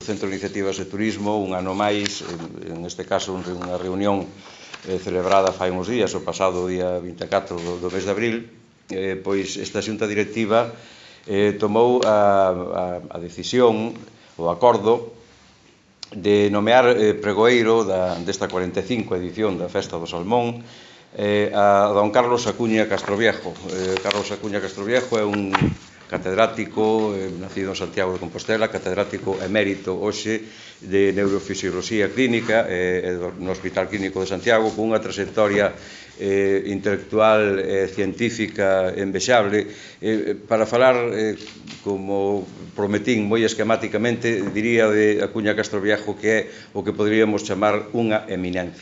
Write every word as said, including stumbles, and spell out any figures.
Centro de Iniciativas de Turismo, un ano máis, en este caso unha reunión celebrada fai uns días, o pasado día vinte e catro do mes de abril, pois esta xunta directiva tomou a decisión, o acordo, de nomear pregoeiro desta cuarenta e cinco edición da Festa do Salmón a don Carlos Acuña Castroviejo. Carlos Acuña Castroviejo é un catedrático, nacido en Santiago de Compostela, catedrático emérito hoxe de Neurofisioloxía Clínica no Hospital Clínico de Santiago, con unha trayectoria intelectual e científica envexable. Para falar, como prometín moi esquematicamente, diría de Acuña Castroviejo que é o que poderíamos chamar unha eminencia.